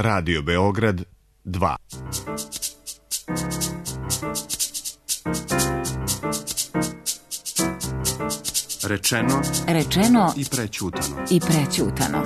Radio Beograd 2. Rečeno i prećutano.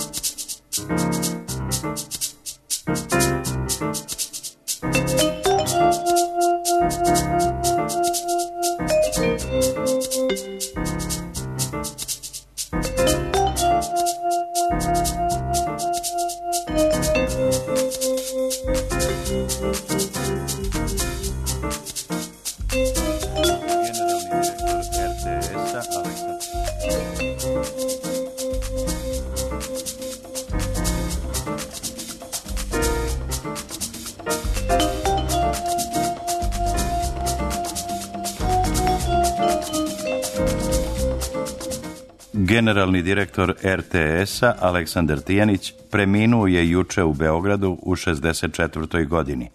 Generalni direktor RTS-a Aleksandar Tijanić preminuo je juče u Beogradu u 64. godini.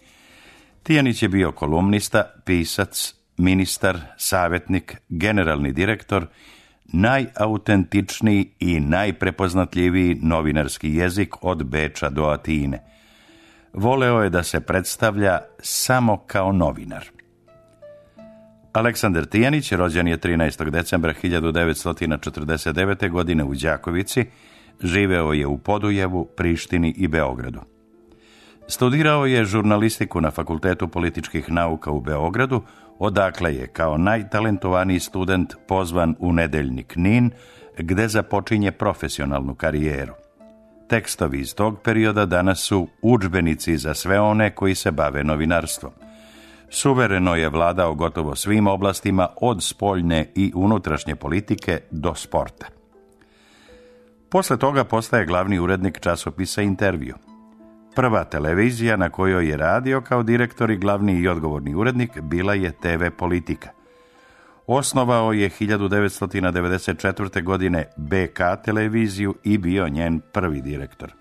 Tijanić je bio kolumnista, pisac, ministar, savjetnik, generalni direktor, najautentičniji i najprepoznatljiviji novinarski jezik od Beča do Atine. Voleo je da se predstavlja samo kao novinar. Aleksandar Tijanić rođen je 13. decembra 1949. godine u Đakovici, živeo je u Podujevu, Prištini i Beogradu. Studirao je žurnalistiku na Fakultetu političkih nauka u Beogradu, odakle je kao najtalentovaniji student pozvan u nedeljnik NIN, gde započinje profesionalnu karijeru. Tekstovi iz tog perioda danas su udžbenici za sve one koji se bave novinarstvom. Suvereno je vladao gotovo svim oblastima od spoljne i unutrašnje politike do sporta. Posle toga postaje glavni urednik časopisa Intervju. Prva televizija na kojoj je radio kao direktor i glavni i odgovorni urednik bila je TV Politika. Osnovao je 1994. godine BK televiziju i bio njen prvi direktor.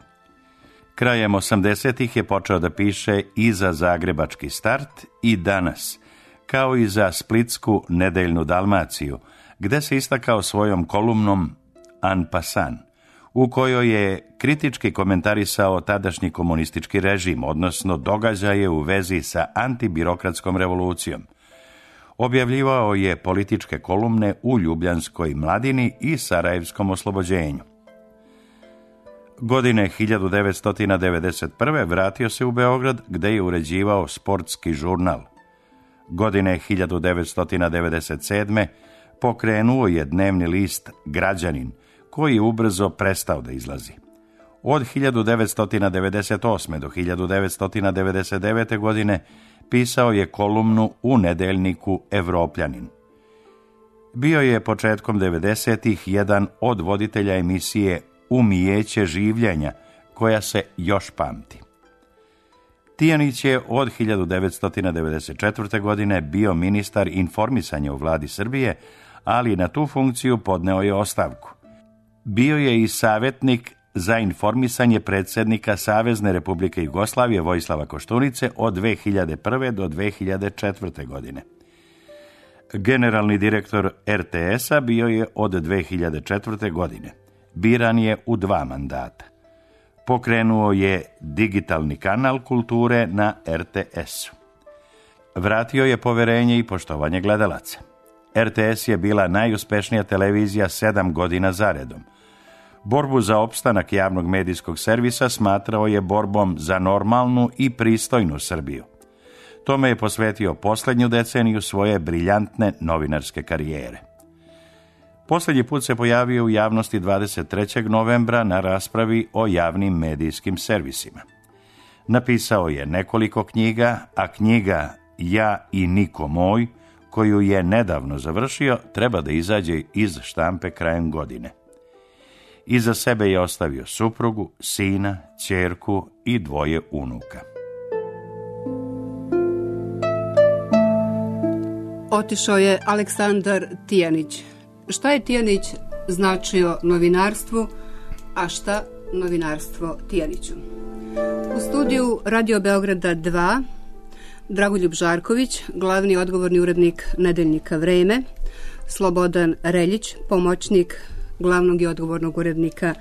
Krajem 80-ih je počeo da piše i za Zagrebački Start i Danas, kao i za splitsku Nedeljnu Dalmaciju, gde se istakao svojom kolumnom En passant, u kojoj je kritički komentarisao tadašnji komunistički režim, odnosno događaje u vezi sa antibirokratskom revolucijom. Objavljivao je političke kolumne u Ljubljanskoj Mladini i Sarajevskom oslobođenju. Godine 1991. vratio se u Beograd, gde je uređivao sportski žurnal. Godine 1997. pokrenuo je dnevni list Građanin, koji je ubrzo prestao da izlazi. Od 1998. do 1999. godine pisao je kolumnu u nedeljniku Evropljanin. Bio je početkom 90-ih jedan od voditelja emisije Umijeće življenja, koja se još pamti. Tijanić je od 1994. godine bio ministar informisanja u vladi Srbije, ali na tu funkciju podneo je ostavku. Bio je i savjetnik za informisanje predsjednika Savezne Republike Jugoslavije Vojislava Koštunice od 2001. do 2004. godine. Generalni direktor RTS-a bio je od 2004. godine. Biran je u 2 mandata. Pokrenuo je digitalni kanal kulture na RTS-u. Vratio je poverenje i poštovanje gledalaca. RTS je bila najuspešnija televizija 7 godina zaredom. Borbu za opstanak javnog medijskog servisa smatrao je borbom za normalnu i pristojnu Srbiju. Tome je posvetio posljednju deceniju svoje briljantne novinarske karijere. Posljednji put se pojavio u javnosti 23. novembra na raspravi o javnim medijskim servisima. Napisao je nekoliko knjiga, a knjiga Ja i niko moj, koju je nedavno završio, treba da izađe iz štampe krajem godine. Iza sebe je ostavio suprugu, sina, ćerku i 2 unuka. Otišao je Aleksandar Tijanić. Šta je Tijanić značio novinarstvu, a šta novinarstvo Tijaniću? U studiju Radio Beograda 2 Dragoljub Žarković, glavni odgovorni urednik nedeljnika Vreme, Slobodan Reljić, pomoćnik glavnog i odgovornog urednika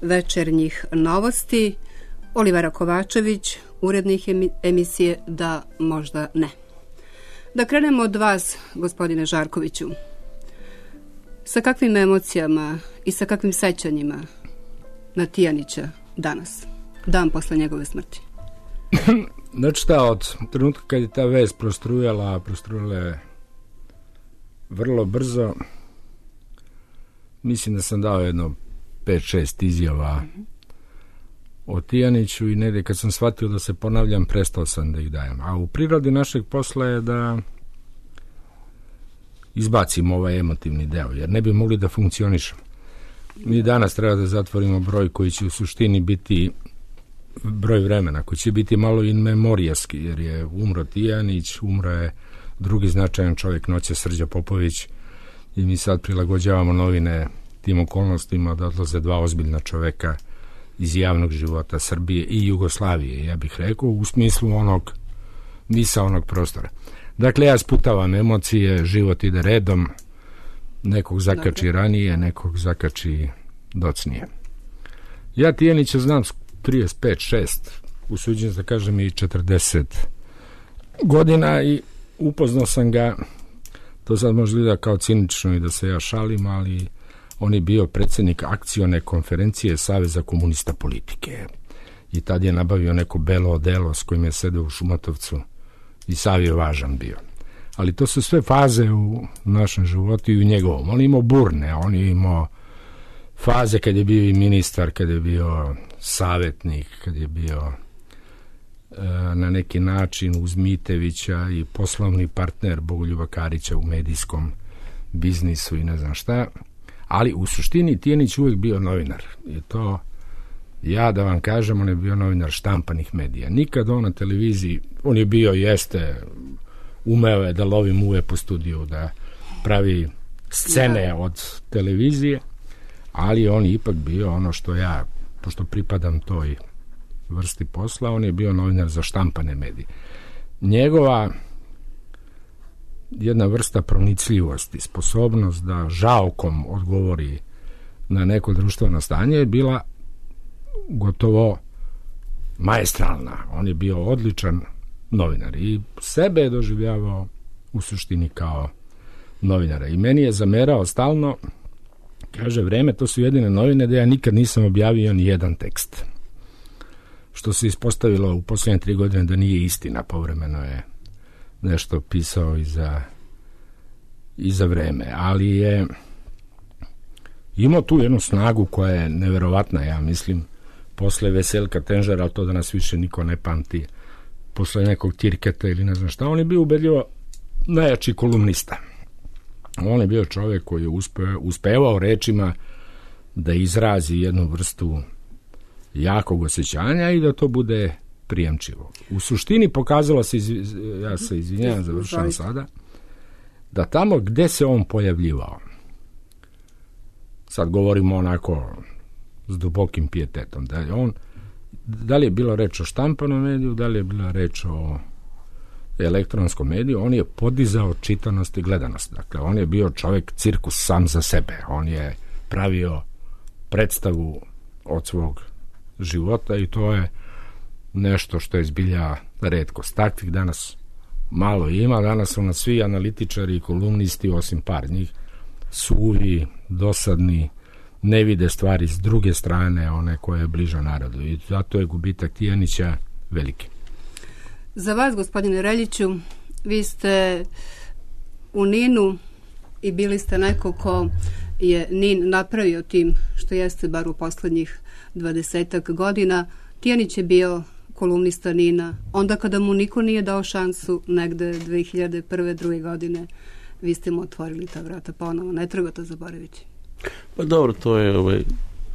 Večernjih novosti, Olivera Kovačević, urednik emisije Da, možda ne. Da krenemo od vas, gospodine Žarkoviću. Sa kakvim emocijama i sa kakvim sećanjima na Tijanića danas, dan posle njegove smrti? Znači šta, od trenutka kad je ta vest prostrujala je vrlo brzo. Mislim da sam dao jedno 5-6 izjava o Tijaniću i negdje kad sam shvatio da se ponavljam, prestao sam da ih dajem. A u prirodi našeg posla je da izbacimo ovaj emotivni deo, jer ne bi mogli da funkcionišemo. Mi danas treba da zatvorimo broj koji će u suštini biti broj vremena, koji će biti malo in memorijaski, jer je umro Tijanić, umro je drugi značajan čovjek noće, Srđa Popović, i mi sad prilagođavamo novine tim okolnostima da odlaze dva ozbiljna čovjeka iz javnog života Srbije i Jugoslavije, ja bih rekao, u smislu onog misaonog prostora. Dakle, ja sputavam emocije, život ide redom, nekog zakači ranije, nekog zakači docnije. Ja Tijanića znam 35-6, usuđujem se da kažem i 40 godina i upoznao sam ga, to sad možda gleda kao cinično i da se ja šalim, ali on je bio predsjednik akcione konferencije Saveza komunista politike i tad je nabavio neko belo odelo s kojim je sedeo u Šumatovcu i sav je važan bio. Ali to su sve faze u našem životu i u njegovom. On je imao burne, on je imao faze kad je bio i ministar, kad je bio savjetnik, kad je bio na neki način uz Mitevića i poslovni partner Bogoljuba Karića u medijskom biznisu i ne znam šta. Ali u suštini Tijanić uvijek bio novinar. I to, ja da vam kažem, on je bio novinar štampanih medija. Nikad on na televiziji, on je bio, jeste, umeo je da lovi muve po studiju, da pravi scene od televizije, ali on je ipak bio ono što ja, pošto pripadam toj vrsti posla, on je bio novinar za štampane medije. Njegova jedna vrsta pronicljivosti, sposobnost da žaokom odgovori na neko društveno stanje je bila gotovo maestralna. On je bio odličan novinar i sebe je doživljavao u suštini kao novinara. I meni je zamerao stalno, kaže, Vreme, to su jedine novine da ja nikad nisam objavio ni jedan tekst. Što se ispostavilo u posljednje 3 godine da nije istina, povremeno je nešto pisao i za Vreme, ali je imao tu jednu snagu koja je neverovatna, ja mislim, posle Veselka Tenžera, ali to danas više niko ne pamti, posle nekog Tirketa ili ne znam šta, on je bio ubedljivo najjači kolumnista. On je bio čovjek koji je uspevao rečima da izrazi jednu vrstu jakog osjećanja i da to bude prijemčivo. U suštini pokazalo se, ja se izvinjavam, završavam sada, da tamo gde se on pojavljivao, sad govorimo onako s dubokim pijetetom, da li je bilo reč o štampanom mediju, da li je bila reč o elektronskom mediju, on je podizao čitanost i gledanost. Dakle, on je bio čovjek cirkus sam za sebe. On je pravio predstavu od svog života i to je nešto što je zbilja retkost. Takvih danas malo ima. Danas su nas svi analitičari i kolumnisti, osim par njih, suvi, dosadni, ne vide stvari s druge strane, one koje je bliža narodu. I zato je gubitak Tijanića veliki. Za vas, gospodine Reljiću, vi ste u Ninu i bili ste neko ko je Nin napravio tim što jeste bar u poslednjih 20 godina. Tijanić je bio kolumnista Nina. Onda kada mu niko nije dao šansu, negde 2001. 2. godine, vi ste mu otvorili ta vrata ponovo. Ne treba to zaboraviti. Pa dobro,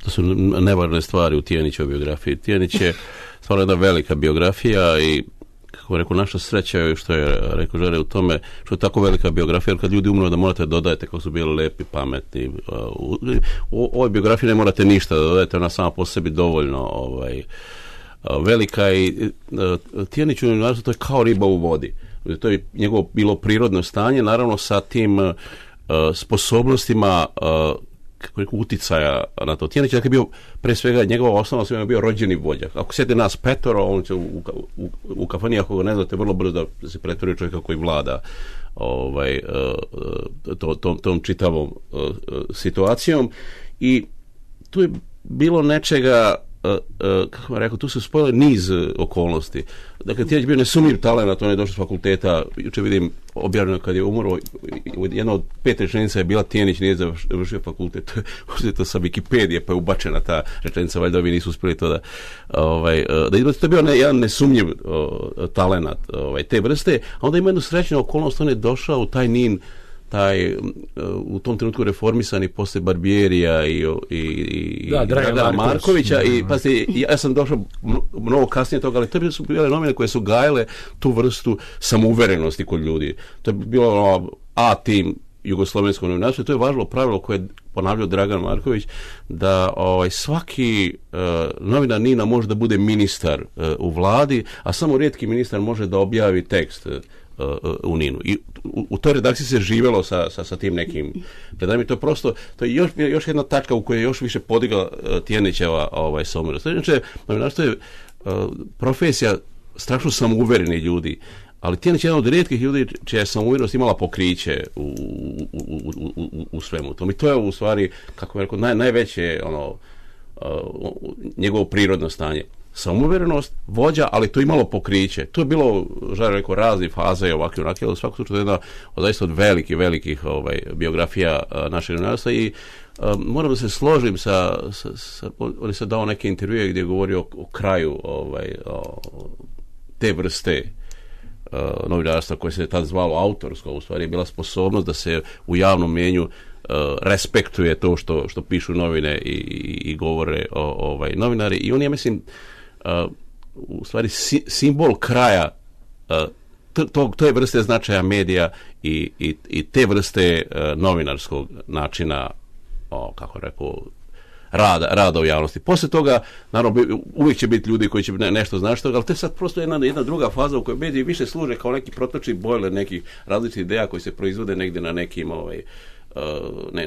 to su nevarne stvari u Tijanićevoj biografiji. Tijanić je stvarno jedna velika biografija i kako rekao, naša sreća je, što je rekao Žare, u tome što je tako velika biografija, jer kad ljudi umru da morate dodajete kako su bili lepi, pametni. U ovoj biografiji ne morate ništa da dodajete, ona sama po sebi dovoljno velika i Tijanić u novinarstvu to je kao riba u vodi. To je njegovo bilo prirodno stanje, naravno sa tim sposobnostima uticaja na to. Tijanić je bio, pre svega, njegova osnovna svema bio rođeni vođa. Ako sjeti nas petoro, on će u kafani, ako ga ne znate, vrlo brzo da se pretvori čovjeka koji vlada tom čitavom situacijom. I tu je bilo nečega, kako rekao, tu su spojile niz okolnosti. Dakle, Tijanić bio nesumnjiv talent, on je došao s fakulteta, jučer vidim objavljeno kad je umro, jedna od 5 rečenica je bila Tijanić nije završio fakultet, uzeto sa Wikipedije, pa je ubačena ta rečenica, valjda ovi nisu uspjeli to da to je bio jedan nesumnjiv talent te vrste, a onda ima jednu srećnu okolnost, on je došao u taj NIN, u tom trenutku reformisani posle Barbierija i Dragana Markovića i ja sam došao mnogo kasnije toga, ali to su bile novine koje su gajale tu vrstu samouverenosti kod ljudi. To je bilo A-tim jugoslovenskog novinarstva, to je važilo pravilo koje je ponavljao Dragan Marković, da svaki novinar NIN-a može da bude ministar u vladi, a samo rijetki ministar može da objavi tekst u NIN-u. I u toj redakciji se živelo sa tim nekim predanjima. To je prosto, to je još jedna tačka u kojoj je još više podigla Tijanićeva samouverenost. Znači, novinarstvo je profesija strašno samouvereni ljudi, ali Tijanić je jedan od rijetkih ljudi čija je samouverenost imala pokriće u svemu tom. I to je u stvari, kako bih rekao, najveće njegovo prirodno stanje. Samouverenost, vođa, ali to imalo pokriće. To je bilo, želim rekao, razne faze i ovakve onake, ali u svakom slučaju jedna zaista od velikih biografija našeg novinarstva i moram da se složim on je sad dao neke intervjue gdje je govorio o kraju te vrste novinarstva koje se tad zvalo autorsko, u stvari je bila sposobnost da se u javnom mjenju respektuje to što pišu novine i govore novinari i on je, mislim, u stvari simbol kraja te vrste značaja medija i te vrste novinarskog načina, kako rekao, rada u javnosti. Poslije toga, naravno, uvijek će biti ljudi koji će nešto značiti, ali to je sad prosto jedna druga faza u kojoj mediji više služe kao neki protočni bojler nekih različitih ideja koji se proizvode negdje na nekim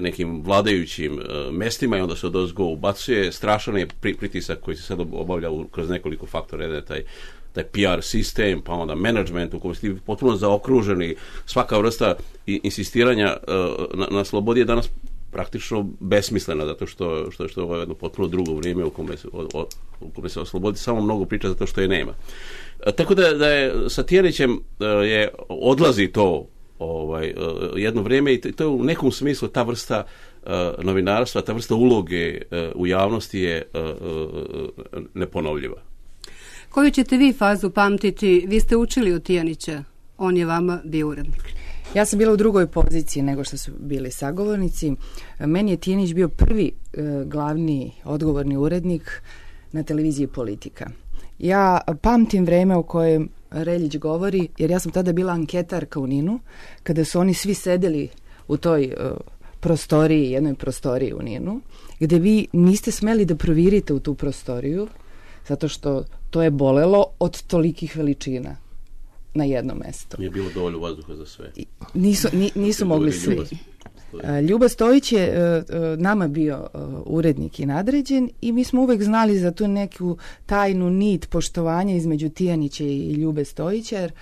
nekim vladajućim mestima i onda se odozgo ubacuje. Strašan je pritisak koji se sad obavlja kroz nekoliko faktora, taj PR sistem, pa onda management u kojem ste potpuno zaokruženi. Svaka vrsta insistiranja na slobodi je danas praktično besmislena, zato što je jedno potpuno drugo vrijeme u kome se oslobodi samo mnogo priča zato što je nema. Tako da je sa Tijanićem odlazi to jedno vrijeme i to je u nekom smislu ta vrsta novinarstva, ta vrsta uloge u javnosti je neponovljiva. Koju ćete vi fazu pamtiti? Vi ste učili od Tijanića, on je vama bio urednik. Ja sam bila u drugoj poziciji nego što su bili sagovornici. Meni je Tijanić bio prvi glavni odgovorni urednik na televiziji Politika. Ja pamtim vreme o kojem Reljić govori, jer ja sam tada bila anketarka u NIN-u, kada su oni svi sedeli u toj prostoriji, jednoj prostoriji u NIN-u, gdje vi niste smeli da provirite u tu prostoriju, zato što to je bolelo od tolikih veličina na jedno mesto. Nije bilo dovoljno vazduha za sve. Nisu mogli svi. Ljuba Stojić je nama bio urednik i nadređen i mi smo uvek znali za tu neku tajnu nit poštovanja između Tijanića i Ljube Stojića, jer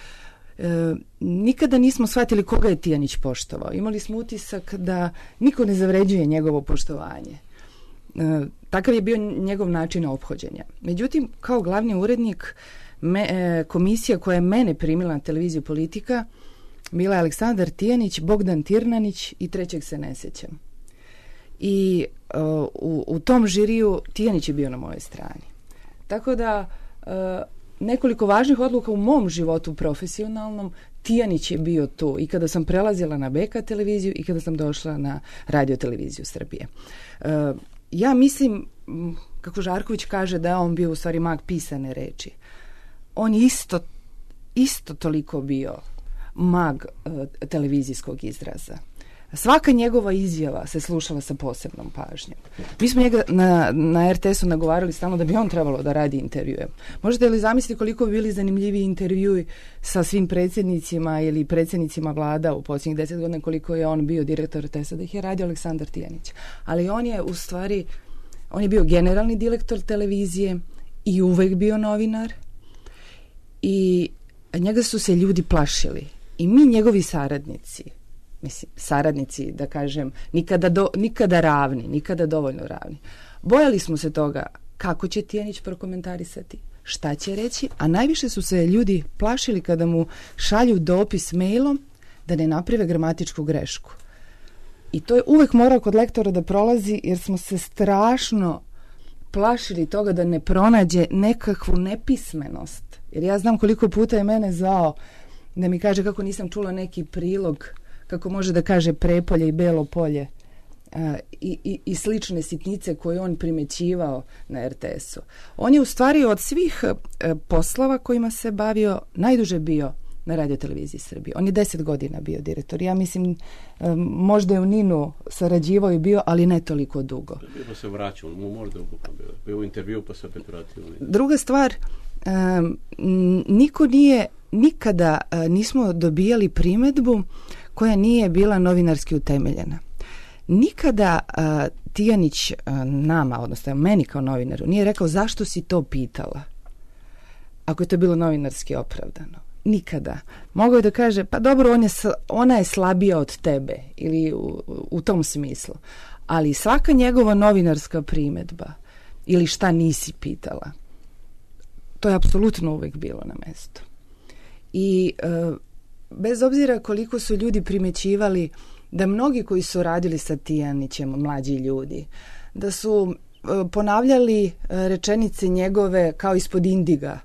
nikada nismo shvatili koga je Tijanić poštovao. Imali smo utisak da niko ne zavređuje njegovo poštovanje. Takav je bio njegov način ophođenja. Međutim, kao glavni urednik, komisija koja je mene primila na televiziju Politika bila je Aleksandar Tijanić, Bogdan Tirnanić i trećeg se ne sjećam. I u tom žiriju Tijanić je bio na mojoj strani. Tako da nekoliko važnih odluka u mom životu profesionalnom Tijanić je bio tu i kada sam prelazila na BK televiziju i kada sam došla na Radio televiziju Srbije. Ja mislim, kako Žarković kaže, da je on bio u stvari mag pisane reči. On je isto toliko bio mag televizijskog izraza. Svaka njegova izjava se slušala sa posebnom pažnjom. Mi smo njega na RTS-u nagovarali stalno da bi on trebalo da radi intervjue. Možete li zamisliti koliko bi bili zanimljivi intervjui sa svim predsjednicima ili predsjednicima vlada u posljednjih 10 godina koliko je on bio direktor RTS-a, da ih je radio Aleksandar Tijanić. Ali on je u stvari, on je bio generalni direktor televizije i uvek bio novinar i njega su se ljudi plašili. I mi, njegovi saradnici, da kažem, nikada ravni, nikada dovoljno ravni. Bojali smo se toga kako će Tijanić prokomentarisati, šta će reći, a najviše su se ljudi plašili kada mu šalju dopis mailom da ne naprave gramatičku grešku. I to je uvek morao kod lektora da prolazi, jer smo se strašno plašili toga da ne pronađe nekakvu nepismenost. Jer ja znam koliko puta je mene zvao da mi kaže kako nisam čula neki prilog, kako može da kaže prepolje i belo polje i slične sitnice koje on primećivao na RTS-u. On je u stvari od svih poslova kojima se bavio najduže bio na radioteleviziji Srbije. On je 10 godina bio direktor. Ja mislim, možda je u Ninu sarađivao i bio, ali ne toliko dugo. Bio se vraćao, možda bio u intervju pa se opet vratio. Druga stvar, nikada nismo dobijali primedbu koja nije bila novinarski utemeljena. Nikada Tijanić nama, odnosno meni kao novinaru, nije rekao zašto si to pitala, ako je to bilo novinarski opravdano. Nikada. Mogao je da kaže, pa dobro, ona je slabija od tebe, ili u tom smislu. Ali svaka njegova novinarska primedba ili šta nisi pitala, to je apsolutno uvek bilo na mestu. I bez obzira koliko su ljudi primećivali da mnogi koji su radili sa Tijanićem, mlađi ljudi, da su ponavljali rečenice njegove kao ispod indiga.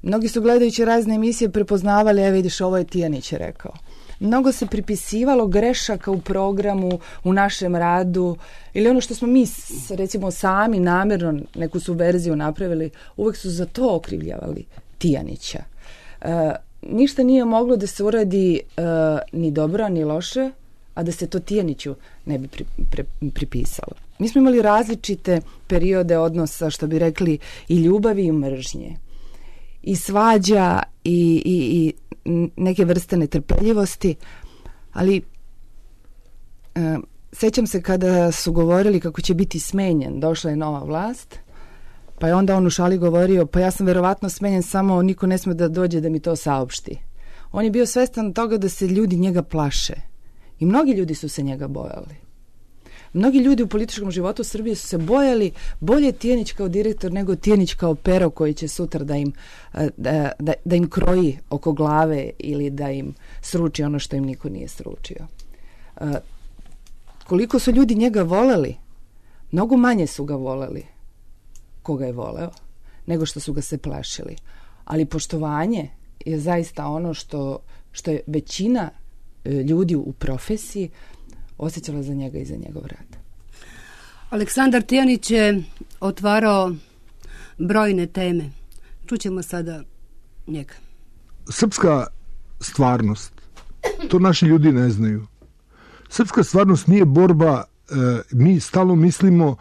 Mnogi su gledajući razne emisije prepoznavali, vidiš, ovo je Tijanić rekao. Mnogo se pripisivalo grešaka u programu, u našem radu, ili ono što smo mi, recimo, sami namjerno neku subverziju napravili, uvek su za to okrivljavali Tijanića. Ništa nije moglo da se uradi ni dobro, ni loše, a da se to Tijaniću ne bi pripisalo. Mi smo imali različite periode odnosa, što bi rekli, i ljubavi i mržnje, i svađa i neke vrste netrpeljivosti, ali sećam se kada su govorili kako će biti smenjen, došla je nova vlast, pa je onda on u šali govorio, pa ja sam verovatno smenjen, samo niko ne sme da dođe da mi to saopšti. On je bio svestan toga da se ljudi njega plaše i mnogi ljudi su se njega bojali. Mnogi ljudi u političkom životu Srbije su se bojali bolje Tijanić kao direktor nego Tijanić kao pero koji će sutra da im kroji oko glave ili da im sruči ono što im niko nije sručio. Koliko su ljudi njega voleli, mnogo manje su ga voleli koga je voleo, nego što su ga se plašili. Ali poštovanje je zaista ono što je većina ljudi u profesiji osjećala za njega i za njegov rad. Aleksandar Tijanić je otvarao brojne teme. Čućemo sada njega. Srpska stvarnost, to naši ljudi ne znaju. Srpska stvarnost nije borba, mi stalno mislimo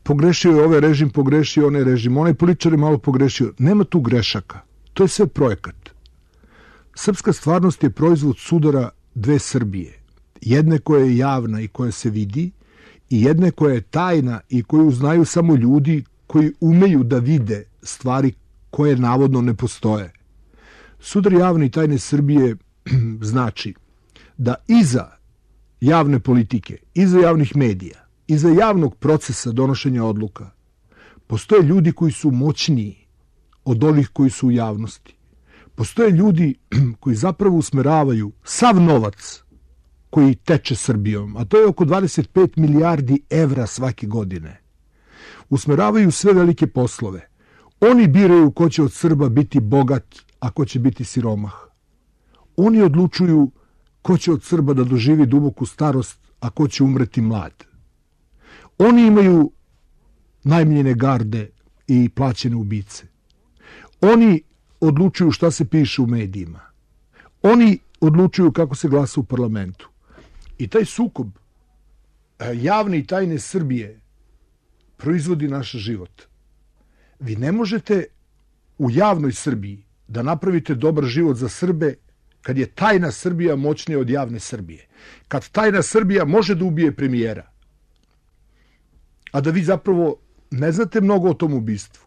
pogrešio je ovaj režim, pogrešio onaj režim, onaj političar je malo pogrešio. Nema tu grešaka. To je sve projekat. Srpska stvarnost je proizvod sudara dve Srbije. Jedne koja je javna i koja se vidi i jedne koja je tajna i koju znaju samo ljudi koji umeju da vide stvari koje navodno ne postoje. Sudar javne i tajne Srbije znači da iza javne politike, iza javnih medija, iza javnog procesa donošenja odluka postoje ljudi koji su moćniji od ovih koji su u javnosti. Postoje ljudi koji zapravo usmeravaju sav novac koji teče Srbijom, a to je oko 25 milijardi evra svake godine. Usmeravaju sve velike poslove. Oni biraju ko će od Srba biti bogat, a ko će biti siromah. Oni odlučuju ko će od Srba da doživi duboku starost, a ko će umreti mlad. Oni imaju najmljene garde i plaćene ubice. Oni odlučuju šta se piše u medijima. Oni odlučuju kako se glasa u parlamentu. I taj sukob javne i tajne Srbije proizvodi naš život. Vi ne možete u javnoj Srbiji da napravite dobar život za Srbe kad je tajna Srbija moćnija od javne Srbije. Kad tajna Srbija može da ubije premijera, a da vi zapravo ne znate mnogo o tom ubistvu.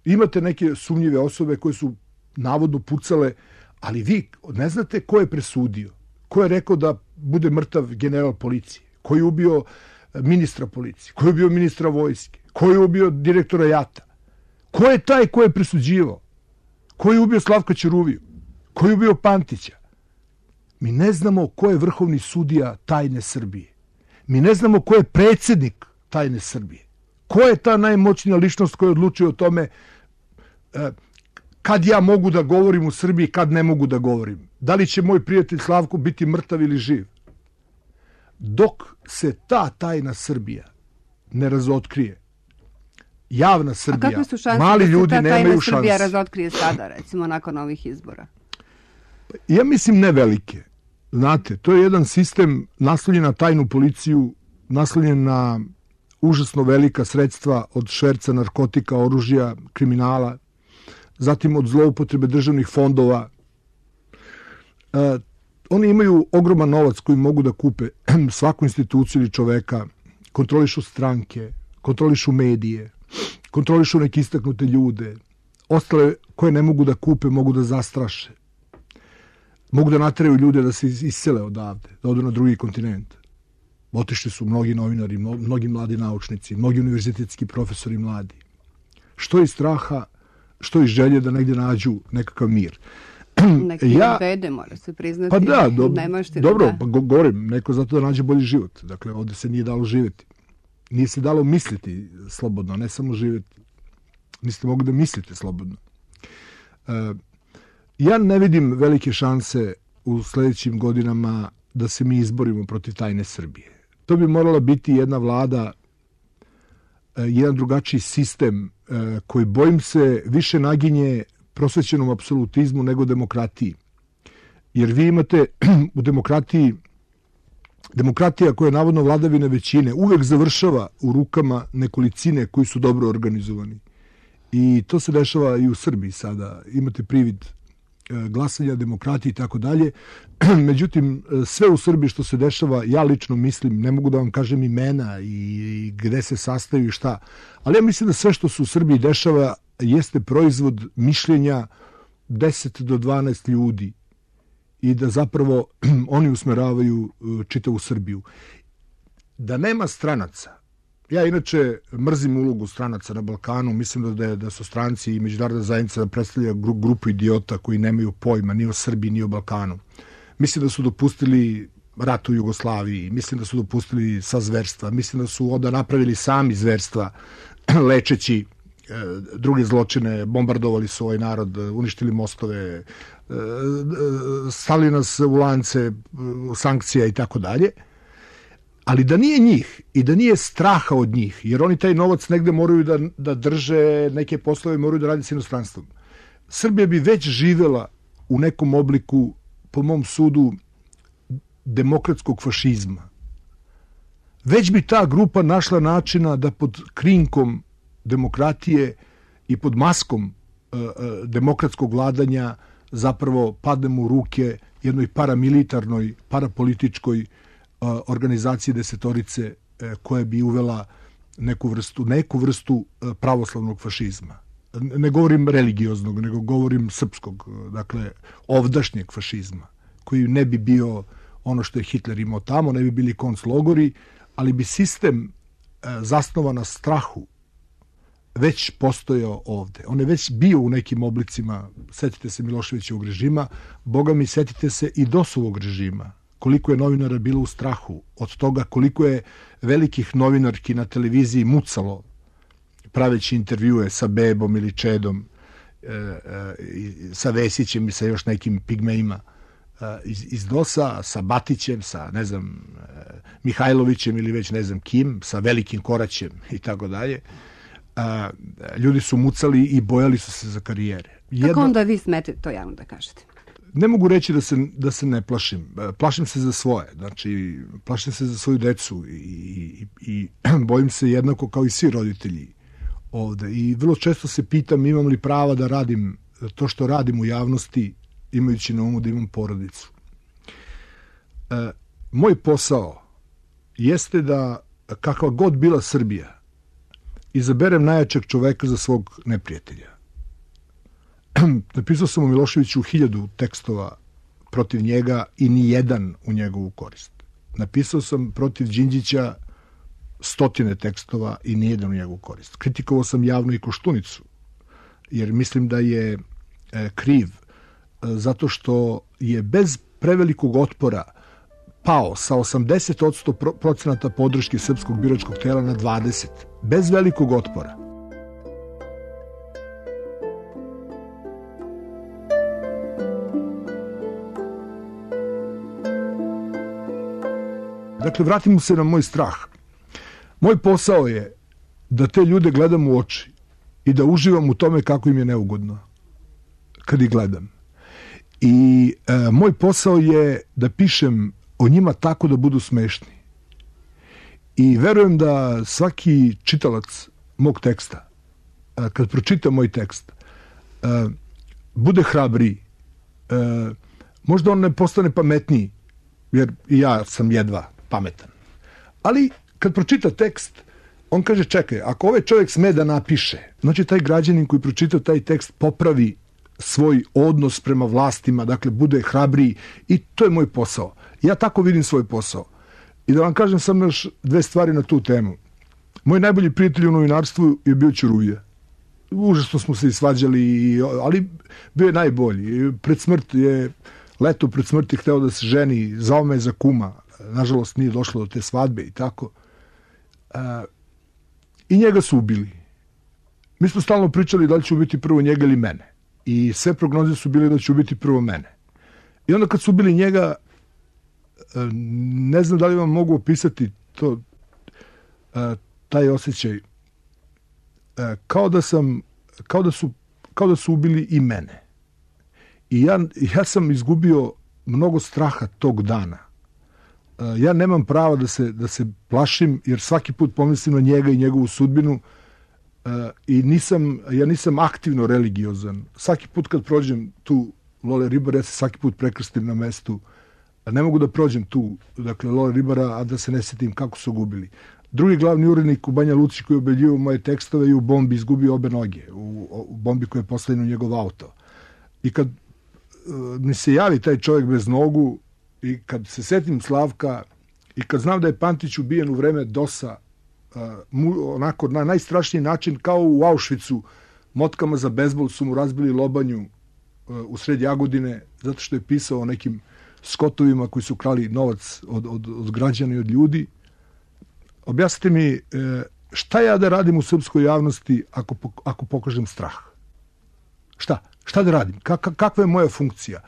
Imate neke sumnjive osobe koje su navodno pucale, ali vi ne znate ko je presudio, ko je rekao da bude mrtav general policije, ko je ubio ministra policije, ko je ubio ministra vojske, ko je ubio direktora JAT-a, ko je taj ko je presuđivao, ko je ubio Slavka Ćuruviju, ko je ubio Pantića. Mi ne znamo ko je vrhovni sudija tajne Srbije. Mi ne znamo ko je predsjednik tajne Srbije. Ko je ta najmoćnija ličnost koja odlučuje o tome kad ja mogu da govorim u Srbiji, kad ne mogu da govorim. Da li će moj prijatelj Slavko biti mrtav ili živ? Dok se ta tajna Srbija ne razotkrije, javna Srbija, kakve su šanse mali ljudi da se ta nemaju tajna šanse. Srbija razotkrije sada, recimo, nakon ovih izbora? Ja mislim ne velike. Znate, to je jedan sistem naslonjen na tajnu policiju, naslonjen na užasno velika sredstva od šverca narkotika, oružja, kriminala, zatim od zloupotrebe državnih fondova. Oni imaju ogroman novac koji mogu da kupe svaku instituciju ili čoveka, kontrolišu stranke, kontrolišu medije, kontrolišu neke istaknute ljude, ostale koje ne mogu da kupe mogu da zastraše. Mogu da nateraju ljude da se isele odavde, da odu na drugi kontinent. Otišli su mnogi novinari, mnogi mladi naučnici, mnogi univerzitetski profesori mladi. Što iz straha, što iz želje da negdje nađu nekakav mir. Neki bede, mora se priznati. Pa da, dobro, da. Govorim, neko zato da nađe bolji život. Dakle, ovdje se nije dalo živjeti. Nije se dalo misliti slobodno, ne samo živjeti. Niste mogli da mislite slobodno. Ja ne vidim velike šanse u sljedećim godinama da se mi izborimo protiv tajne Srbije. To bi morala biti jedna vlada, jedan drugačiji sistem koji, bojim se, više naginje prosvećenom apsolutizmu nego demokratiji. Jer vi imate u demokratiji, demokratija koja je navodno vladavina većine, uvek završava u rukama nekolicine koji su dobro organizovani. I to se dešava i u Srbiji sada. Imate privid glasanja, demokratije i tako dalje. Međutim, sve u Srbiji što se dešava, ja lično mislim, ne mogu da vam kažem imena i gde se sastaju i šta, ali ja mislim da sve što se u Srbiji dešava jeste proizvod mišljenja 10 do 12 ljudi i da zapravo oni usmeravaju čitavu Srbiju. Da nema stranaca, ja inače mrzim ulogu stranaca na Balkanu, mislim da su stranci i međunarodna zajednica da predstavlja grupu idiota koji nemaju pojma ni o Srbiji ni o Balkanu. Mislim da su dopustili rat u Jugoslaviji, mislim da su dopustili sva zverstva, mislim da su onda napravili sami zverstva lečeći druge zločine, bombardovali su ovaj narod, uništili mostove, stali nas u lance sankcija i tako dalje. Ali da nije njih i da nije straha od njih, jer oni taj novac negde moraju da drže, neke poslove moraju da radi s inostranstvom. Srbija bi već živela u nekom obliku, po mom sudu, demokratskog fašizma. Već bi ta grupa našla načina da pod krinkom demokratije i pod maskom demokratskog vladanja zapravo padnemo u ruke jednoj paramilitarnoj, parapolitičkoj organizacije desetorice koja bi uvela neku vrstu pravoslavnog fašizma. Ne govorim religioznog, nego govorim srpskog, dakle ovdašnjeg fašizma, koji ne bi bio ono što je Hitler imao tamo, ne bi bili konclogori, ali bi sistem zasnovan na strahu već postojao ovde. On je već bio u nekim oblicima, setite se Miloševićevog režima, boga mi setite se i DOS-ovog režima, koliko je novinara bilo u strahu od toga, koliko je velikih novinarki na televiziji mucalo praveći intervjue sa Bebom ili Čedom, sa Vesićem i sa još nekim pigmejima iz DOS-a, sa Batićem, sa, ne znam, Mihajlovićem ili već ne znam kim, sa Velikim Koraćem i tako dalje. Ljudi su mucali i bojali su se za karijere. Kako onda vi smete to javno da kažete? ne mogu reći da se ne plašim. Plašim se za svoje. Znači, plašim se za svoju decu i bojim se jednako kao i svi roditelji ovde. I vrlo često se pitam imam li prava da radim to što radim u javnosti, imajući na umu da imam porodicu. Moj posao jeste da, kakva god bila Srbija, izaberem najjačeg čoveka za svog neprijatelja. Napisao sam o Miloševiću 1000 tekstova protiv njega i ni jedan u njegovu korist. Napisao sam protiv Đinđića 100 tekstova i ni jedan u njegovu korist. Kritikovao sam javno i Koštunicu, jer mislim da je kriv zato što je bez prevelikog otpora pao sa 80% podrške srpskog biračkog tela na 20%. Bez velikog otpora. Dakle, vratimo se na moj strah. Moj posao je da te ljude gledam u oči i da uživam u tome kako im je neugodno kad ih gledam. I moj posao je da pišem o njima tako da budu smešni. I verujem da svaki čitalac mog teksta, kad pročita moj tekst, bude hrabriji. Možda on ne postane pametniji, jer i ja sam jedva pametan. Ali kad pročita tekst, on kaže čekaj, ako ovaj čovjek sme da napiše, znači taj građanin koji pročita taj tekst popravi svoj odnos prema vlastima, dakle bude hrabriji i to je moj posao. Ja tako vidim svoj posao. I da vam kažem samo još 2 stvari na tu temu. Moj najbolji prijatelj u novinarstvu je bio Ćuruvija. Užasno smo se i svađali, ali bio je najbolji. Leto pred smrti hteo da se ženi, zvao me za kuma. Nažalost nije došlo do te svadbe i tako. I njega su ubili. Mi smo stalno pričali da li će ubiti prvo njega ili mene. I sve prognoze su bile da će ubiti prvo mene. I onda kad su ubili njega, ne znam da li vam mogu opisati to, taj osjećaj. Kao da su ubili i mene. I ja sam izgubio mnogo straha tog dana. Ja nemam prava da se plašim, jer svaki put pomislim na njega i njegovu sudbinu i ja nisam aktivno religiozan. Svaki put kad prođem tu Lole Ribara, ja se svaki put prekrstim na mestu. Ne mogu da prođem tu, dakle, Lole Ribara, a da se ne sjetim kako su gubili. Drugi glavni urednik u Banja Luci koji je obeljivao moje tekstove i u bombi izgubio obe noge, u bombi koja je postavljena u njegov auto. I kad mi se javi taj čovjek bez nogu i kad se setim Slavka i kad znam da je Pantić ubijen u vreme DOS-a, onako na najstrašniji način, kao u Auschwitzu, motkama za bejzbol su mu razbili lobanju u sred Jagodine, zato što je pisao o nekim skotovima koji su krali novac od građana i od ljudi. Objasnite mi šta ja da radim u srpskoj javnosti ako pokažem strah? Šta da radim? Kakva je moja funkcija?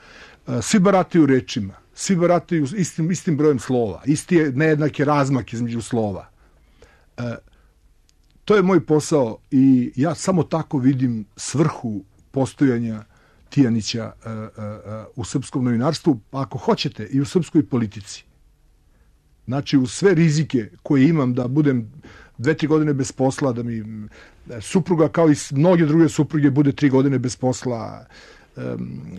Svi barataju rečima, svi barataju istim brojem slova, isti je nejednaki razmak između slova. To je moj posao i ja samo tako vidim svrhu postojanja Tijanića u srpskom novinarstvu, pa ako hoćete i u srpskoj politici. Znači, u sve rizike koje imam da budem 2-3 godine bez posla, da mi supruga kao i mnoge druge supruge bude 3 godine bez posla,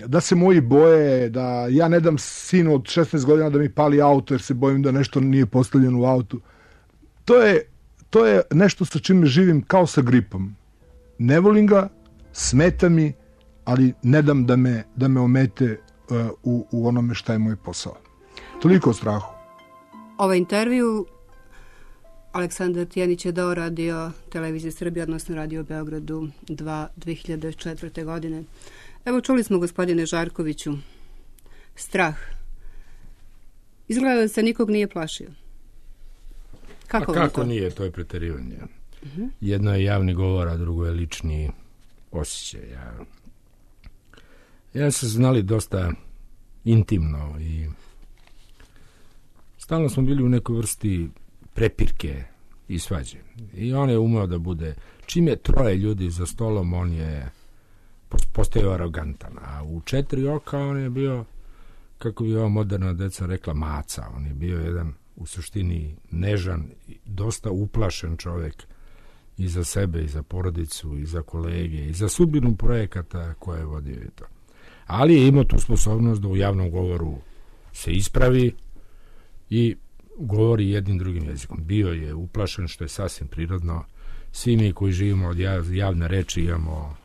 da se moji boje, da ja ne dam sinu od 16 godina da mi pali auto jer se bojim da nešto nije postavljeno u autu. To je nešto sa čime živim kao sa gripom. Ne volim ga, smeta mi, ali ne dam da me omete u onome šta je moj posao. Toliko o strahu. Ovaj intervju Aleksandar Tijanić je dao Radio Televizije Srbije, odnosno Radio Beogradu 2004. godine. Evo, čuli smo, gospodine Žarkoviću, strah. Izgleda da se nikog nije plašio. Kako nije, to je preterivanje. Jedno je javni govor, a drugo je lični osjećaj. Ja se znali dosta intimno i stalno smo bili u nekoj vrsti prepirke i svađe. I on je umeo da bude, čim je 3 ljudi za stolom, on je postao arogantan, a U 4 oka on je bio, kako bi ova moderna deca rekla, maca. On je bio jedan u suštini nežan, dosta uplašen čovjek i za sebe, i za porodicu, i za kolege, i za sudbinu projekata koje je vodio i to. Ali je imao tu sposobnost da u javnom govoru se ispravi i govori jednim drugim jezikom. Bio je uplašen, što je sasvim prirodno. Svi mi koji živimo od javne reči imamo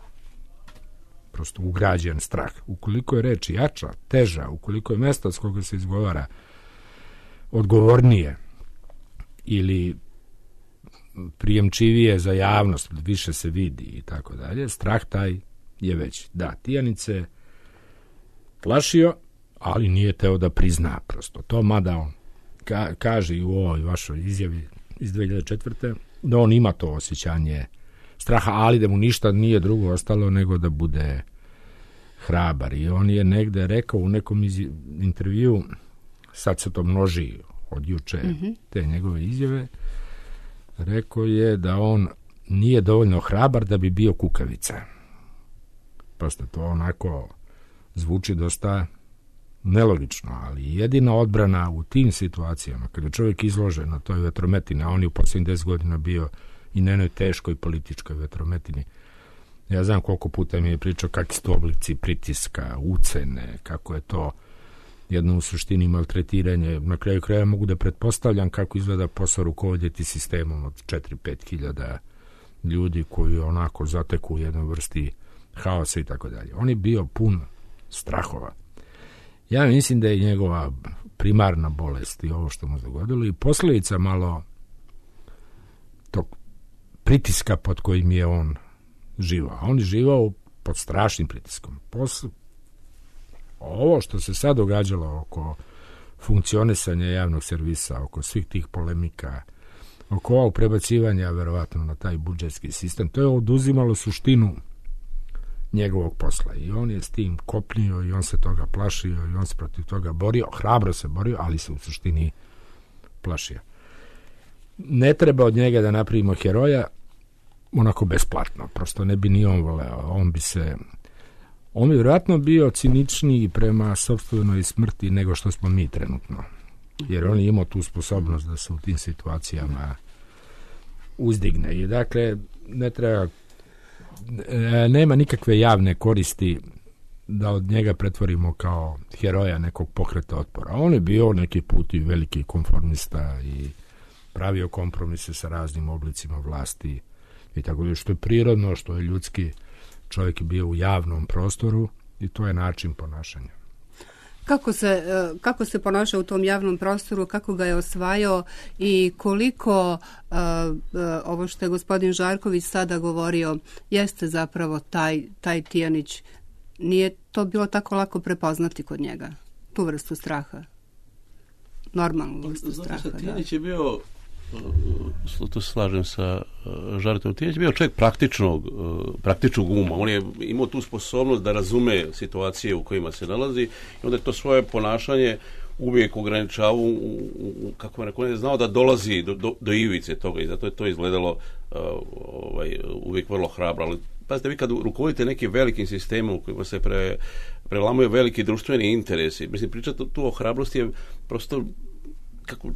prosto ugrađen strah. Ukoliko je reč jača, teža, ukoliko je mjesto s koga se izgovara odgovornije ili prijemčivije za javnost, više se vidi i tako dalje, strah taj je veći. Da, Tijanice plašio, ali nije teo da prizna prosto to, mada on kaže i u ovoj vašoj izjavi iz 2004. da on ima to osjećanje straha, ali da mu ništa nije drugo ostalo nego da bude hrabar. I on je negde rekao u nekom intervju, sad se to množi od juče, te njegove izjave, rekao je da on nije dovoljno hrabar da bi bio kukavica. Prosto to onako zvuči dosta nelogično, ali jedina odbrana u tim situacijama, kada je čovjek izložen na toj vetrometini, a on je u posljednjih 10 godina bio i na jednoj teškoj političkoj vetrometini. Ja znam koliko puta mi je pričao kakvi su to oblici pritiska, ucene, kako je to jedno u suštini maltretiranje. Na kraju kraja mogu da pretpostavljam kako izgleda posao rukovoditi sistemom od 4-5 hiljada ljudi koji onako zateku u jednoj vrsti haosa i tako dalje. On je bio pun strahova. Ja mislim da je njegova primarna bolest i ovo što mu dogodilo i posljedica malo tog pritiska pod kojim je on živao. On je živao pod strašnim pritiskom. Ovo što se sad događalo oko funkcionisanja javnog servisa, oko svih tih polemika, oko ovog prebacivanja verovatno na taj budžetski sistem, to je oduzimalo suštinu njegovog posla i on je s tim kopnio i on se toga plašio i on se protiv toga borio, hrabro se borio, ali se u suštini plašio. Ne treba od njega da napravimo heroja onako besplatno, prosto ne bi ni on voleo, on bi vjerojatno bio ciničniji prema sopstvenoj smrti nego što smo mi trenutno, jer on je imao tu sposobnost da se u tim situacijama uzdigne i dakle ne treba, nema nikakve javne koristi da od njega pretvorimo kao heroja nekog pokreta otpora. On je bio neki put i veliki konformista i pravio kompromise sa raznim oblicima vlasti i tako da, što je prirodno, što je ljudski. Čovjek je bio u javnom prostoru i to je način ponašanja. Kako se ponašao u tom javnom prostoru, kako ga je osvajao i koliko ovo što je gospodin Žarković sada govorio jeste zapravo taj Tijanić, nije to bilo tako lako prepoznati kod njega, tu vrstu straha, normalnu vrstu straha. Tijanić je bio, tu se slažem sa Žarkom, Tijanić je bio čovjek praktičnog uma. On je imao tu sposobnost da razume situacije u kojima se nalazi i onda je to svoje ponašanje uvijek ograničavao, kako je rekao, on je znao da dolazi do ivice toga i zato je to izgledalo uvijek vrlo hrabro. Ali pazite, vi kad rukovodite nekim velikim sistemom u kojima se prelamaju veliki društveni interesi, mislim, pričati tu o hrabrosti je prosto,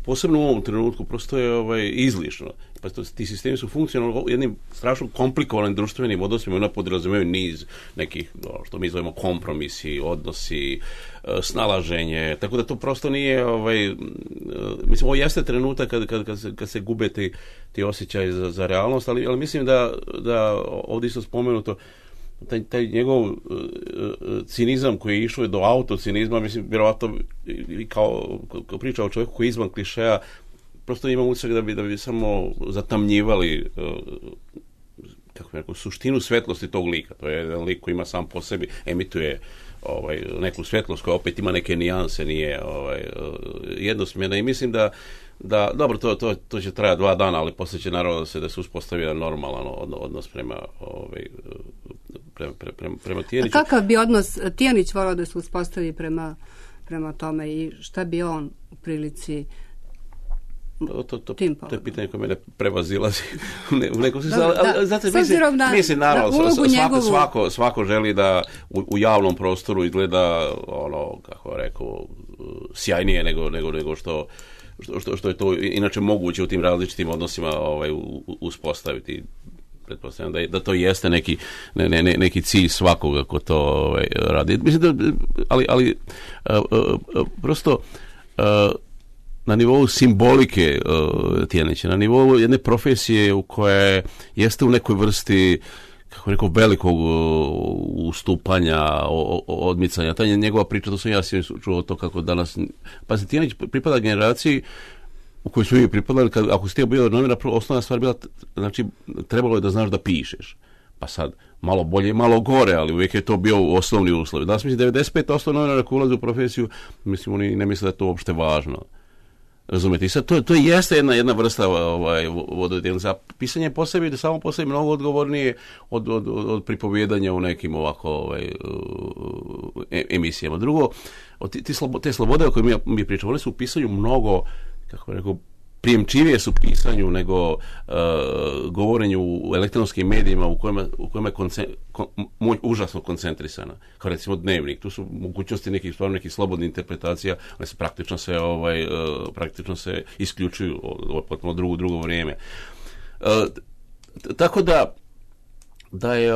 posebno u ovom trenutku, prosto je izlišno. Pa ti sistemi su funkcionalni jednim strašno komplikovanim društvenim odnosima, ona podrazumijevaju niz nekih, što mi zovemo kompromisi, odnosi, snalaženje, tako da to prosto nije, mislim, ovo jeste trenutak kad se gube ti osjećaj za realnost, ali mislim da ovdje isto spomenuto, taj njegov cinizam koji je išao do autocinizma, mislim, vjerovatno kao priča o čovjeku koji je izvan klišeja, prosto imam utisak da bi samo zatamnjivali suštinu svetlosti tog lika. To je jedan lik koji ima sam po sebi, emituje neku svetlost koja opet ima neke nijanse, nije jednosmjerna i mislim da dobro, to će trajati 2 dana, ali poslije će naravno da se uspostavi jedan normalan odnos prema Tijaniću. A kakav bi odnos Tijanić volao da se uspostavi prema tome i šta bi on u prilici tim to je pitanje koje mene prevazilazi u nekom smislu. S obzirom na ulogu njegovu... Svako želi da u javnom prostoru izgleda kako rekao, sjajnije nego što je to inače moguće u tim različitim odnosima uspostaviti. Pretpostavljam da to jeste neki cilj svakoga ko to radi. Mislim da, ali prosto na nivou simbolike Tijanića, na nivou jedne profesije u koje jeste u nekoj vrsti, kako rekao, velikog ustupanja, odmicanja. Ta njegova priča, to sam ja čuo to kako danas... Pa se Tijanić pripada generaciji u kojoj smo mi pripadali, ako si ti bio novinar, osnovna stvar bila, znači, trebalo je da znaš da pišeš. Pa sad, malo bolje i malo gore, ali uvijek je to bio osnovni uslov. Danas mislim 95% novinara koji ulaze u profesiju, mislim, oni ne misle da je to uopšte važno. Razumete? I sad, to jeste jedna vrsta vododjelnica. Pisanje po sebi, samo po sebi mnogo odgovornije od pripovjedanja u nekim ovako emisijama. Drugo, te slobode o kojima mi pričamo, one su u pisanju mnogo, kako rekao, prijemčivije su pisanju nego govorenju u elektronskim medijima u kojima je užasno koncentrisana. Kao recimo Dnevnik. Tu su mogućnosti nekih slobodnih interpretacija, one se praktično se isključuju potpuno drugo vrijeme. Tako da je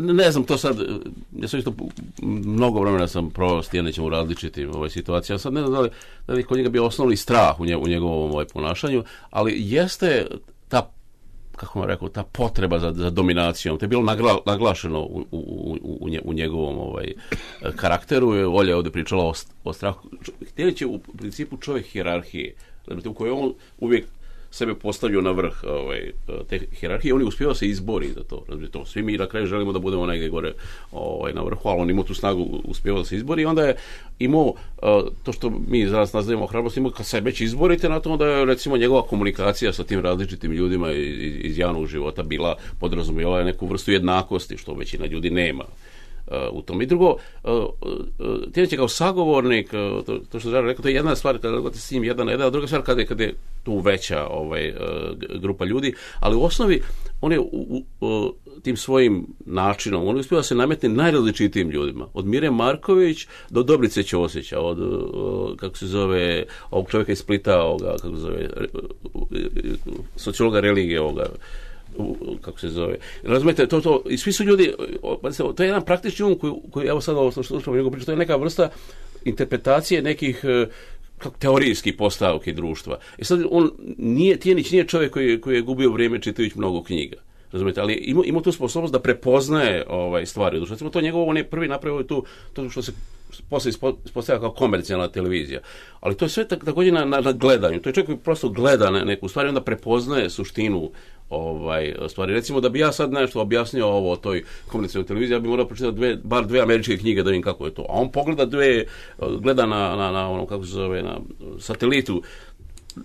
ne znam, to sad, ja sam isto mnogo vremena sam proveo s Tijanićem u različitim situacijama, sad ne znam da li kod njega bio osnovni strah u njegovom ponašanju, ali jeste ta, kako vam rekao, ta potreba za dominacijom, to je bilo naglašeno u njegovom karakteru. Olja je ovdje pričala o strahu. Tijanić je u principu čovjek hijerarhije, u kojoj on uvijek sebe postavio na vrh te hijerarhije, on je uspio se izbori za to. Svi mi na kraju želimo da budemo negdje gore na vrhu, ali on imao tu snagu, uspio da se izbori i onda je imao to što mi zaraz nazivamo hrabrost, imao kad se već izborite na to, onda je recimo njegova komunikacija sa tim različitim ljudima iz javnog života bila podrazumijevala neku vrstu jednakosti, što većina ljudi nema u tom. I drugo, Tijanić je kao sagovornik, to što Žara rekao, to je jedna stvar kada se s njim jedan, a druga stvar kada je tu veća grupa ljudi, ali u osnovi on je tim svojim načinom, on je uspio da se nametne najrazličitijim ljudima, od Mire Marković do Dobrice Ćosića, od kako se zove ovog čovjeka iz Splita, kako se zove sociologa religije, kako se zove. Razumete, to i svi su ljudi, to je jedan praktični um koji evo sad ovo što slušamo njegovu priču, to je neka vrsta interpretacije nekih teorijskih postavki društva. I sad Tijanić nije čovjek koji je gubio vrijeme čitajući mnogo knjiga. Razumete, ali ima tu sposobnost da prepoznaje stvari u društvu. Recimo, to njegovo, on je prvi napravio to što se poslije ispostavlja kao komercijalna televizija. Ali to je sve također na gledanju. To je čovjek koji prosto gleda neku stvar i onda prepoznaje suštinu stvari. Recimo, da bi ja sad nešto objasnio o toj komercijalnoj televiziji, ja bi morao pročitati bar dve američke knjige da vidim kako je to. A on gleda na ono, kako se zove, na satelitu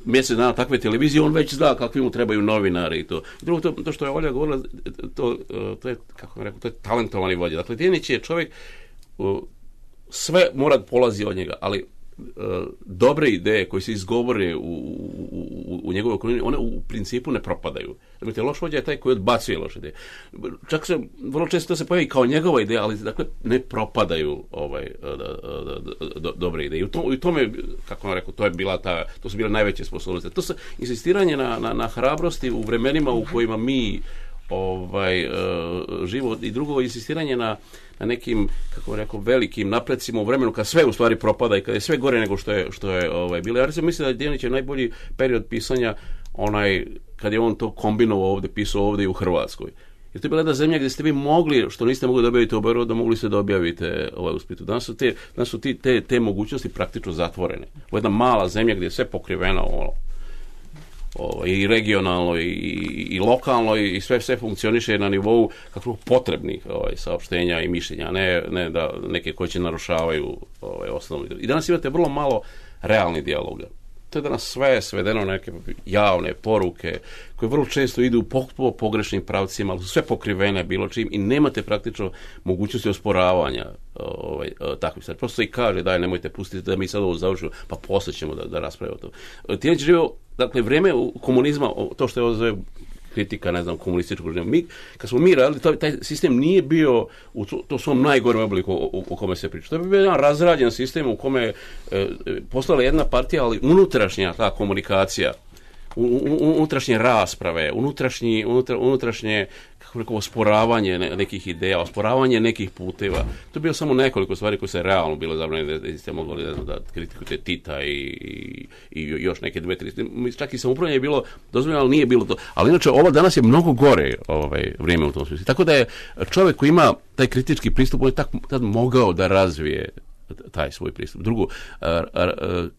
mjesec dana takve televizije, on već zna kakvi mu trebaju novinari i to. I drugo, to što je Olja govorila, to je, kako bih rekao, to je talentovani vođa. Dakle, Tijanić je čovjek, sve mora polazi od njega, ali dobre ideje koje se izgovore u njegovoj okolini, one u principu ne propadaju. Dakle, loš vođa je taj koji odbacuje loše ideje. Čak se vrlo često se pojavi kao njegova ideja, ali dakle ne propadaju dobre ideje. I u tome, kako vam rekao, to su bile najveće sposobnosti. To su insistiranje na hrabrosti u vremenima u kojima mi život i drugo insistiranje na nekim, kako rekao, velikim napredcima u vremenu kad sve u stvari propada i kad je sve gore nego što je bilo. Ja recimo mislim da je Tijanić najbolji period pisanja kad je on to kombinovao ovdje, pisao ovdje i u Hrvatskoj. Jer to je bila jedna zemlja gdje ste vi mogli, što niste mogli da objavite u Beogradu, da mogli ste da objavite u Splitu. Danas su te mogućnosti praktično zatvorene. Ovo je jedna mala zemlja gdje je sve pokriveno i regionalno i lokalno i sve funkcioniše na nivou kakvog potrebnih saopštenja i mišljenja, ne da neke koje će narušavaju osnovni. I danas imate vrlo malo realnih dijaloga. To je danas sve svedeno neke javne poruke koje vrlo često idu po pogrešnim pravcima, ali su sve pokrivene bilo čim i nemate praktično mogućnosti osporavanja takvih stvari. Prosto se i kaže, daj, nemojte pustiti da mi sad ovo završimo, pa poslije ćemo da raspravimo to. Tijanić živio, dakle, vrijeme komunizma, to što je ovo zove kritika, ne znam, komunističkog režima. Kad smo mi radili, taj sistem nije bio u to svom najgorem obliku u kome se priča. To je bio jedan razrađen sistem u kome je postala jedna partija, ali unutrašnja ta komunikacija, unutrašnje rasprave, unutrašnje kako rekao, osporavanje nekih ideja, osporavanje nekih puteva. To je bilo samo nekoliko stvari koje se realno bilo zabranjene, da ste mogli da kritikujete Tita i još neke 2-3. Čak i samoupravljanje je bilo dozvoljeno, ali nije bilo to. Ali inače, ovo danas je mnogo gore vrijeme u tom smislu. Tako da je čovjek koji ima taj kritički pristup, on je tad mogao da razvije taj svoj pristup. Drugo,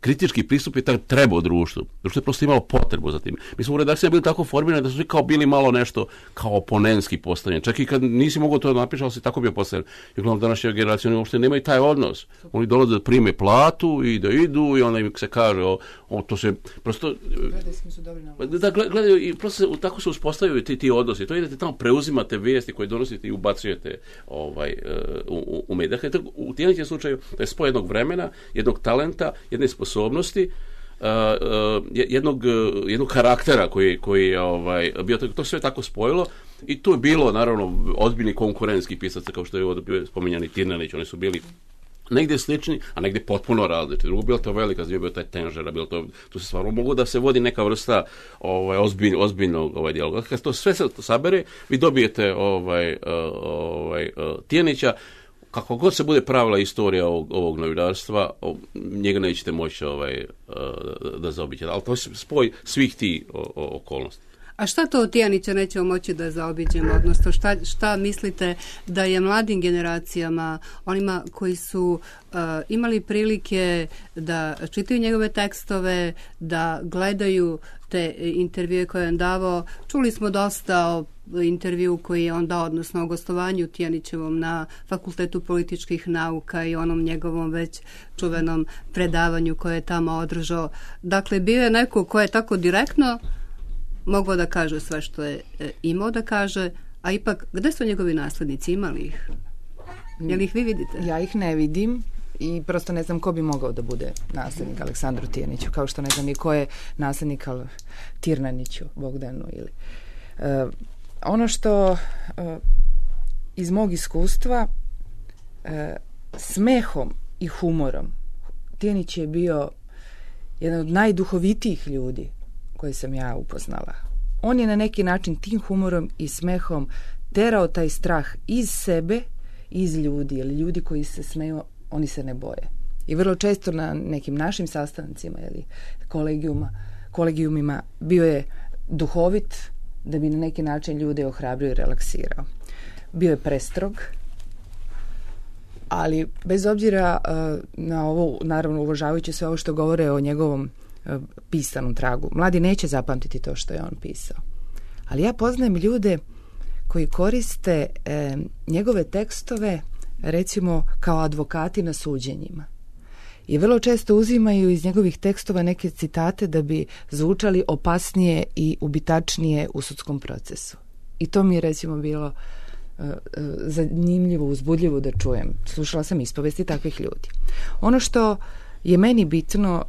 kritički pristup je trebao društvu. Društvo je prosto imalo potrebu za tim. Mi smo u redakciji bili tako formirani da su svi kao bili malo nešto kao oponentski postavljeni. Čak i kad nisi mogao to napišati, ali si tako bio postavljen. I uglavnom današnja generacija oni uopšte nemaju taj odnos. Oni dolaze da prime platu i da idu i onda im se kaže to se prosto gledaju i prosto tako se uspostavljaju ti odnosi. To idete tamo, preuzimate vijesti koje donosite i ubacujete u medije. Dakle, u Tijanićem slučaju to je spoj jednog vremena, jednog talenta, jedne sposobnosti, jednog karaktera koji je bio, to sve tako spojilo i tu je bilo naravno ozbiljni konkurentski pisaca kao što je bio spominjani Tirnanić, oni su bili negdje slični, a negdje potpuno različiti. Drugo, bila to velika zvijek, bio taj Tenžera, tu se stvarno mogu da se vodi neka vrsta ozbiljnog dijaloga. Kad to sve se sabere, vi dobijete Tijanića. Kako god se bude pravila istorija ovog novinarstva, njega nećete moći da zaobiđete. Ali to je spoj svih tih okolnosti. A šta to od Tijanića nećemo moći da zaobiđemo? Odnosno, šta mislite da je mladim generacijama, onima koji su imali prilike da čitaju njegove tekstove, da gledaju te intervjue koje je on davao? Čuli smo dosta o intervju koji je on dao, odnosno o gostovanju Tijanićevom na Fakultetu političkih nauka i onom njegovom već čuvenom predavanju koje je tamo održao. Dakle, bio je neko ko je tako direktno mogao da kaže sve što je imao da kaže, a ipak, gde su njegovi naslednici, imali ih? Jel ih vi vidite? Ja ih ne vidim i prosto ne znam ko bi mogao da bude naslednik Aleksandru Tijaniću, kao što ne znam ni ko je naslednik Tirnaniću, Bogdanu ili... Ono što iz mog iskustva smehom i humorom, Tijanić je bio jedan od najduhovitijih ljudi koje sam ja upoznala. On je na neki način tim humorom i smehom terao taj strah iz sebe, iz ljudi, jer ljudi koji se smeju, oni se ne boje. I vrlo često na nekim našim sastancima ili kolegijumima bio je duhovit, da bi na neki način ljude ohrabrio i relaksirao. Bio je prestrog, ali bez obzira na ovo, naravno uvažavajući sve ovo što govore o njegovom pisanom tragu, mladi neće zapamtiti to što je on pisao. Ali ja poznajem ljude koji koriste njegove tekstove recimo kao advokati na suđenjima. I vrlo često uzimaju iz njegovih tekstova neke citate da bi zvučali opasnije i ubitačnije u sudskom procesu. I to mi je recimo bilo zanimljivo, uzbudljivo da čujem. Slušala sam ispovesti takvih ljudi. Ono što je meni bitno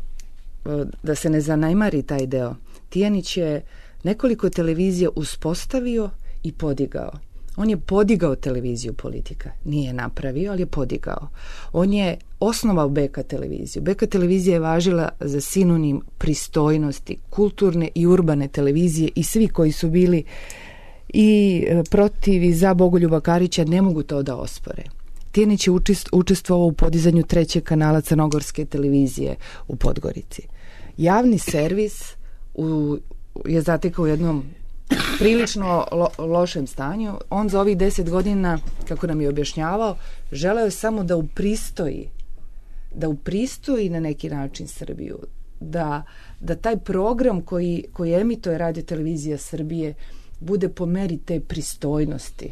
da se ne zanemari taj deo, Tijanić je nekoliko televizija uspostavio i podigao. On je podigao televiziju Politika. Nije napravio, ali je podigao. On je osnovao BK televiziju. BK televizija je važila za sinonim pristojnosti, kulturne i urbane televizije i svi koji su bili i protiv i za Bogoljuba Karića ne mogu to da ospore. Tijanić je učestvovao u podizanju 3. kanala Crnogorske televizije u Podgorici. Javni servis je zatekao u jednom prilično lošem stanju. On za ovih 10 godina, kako nam je objašnjavao, želeo je samo da upristoji na neki način Srbiju, da taj program koji emituje Radio Televizija Srbije bude po meri te pristojnosti,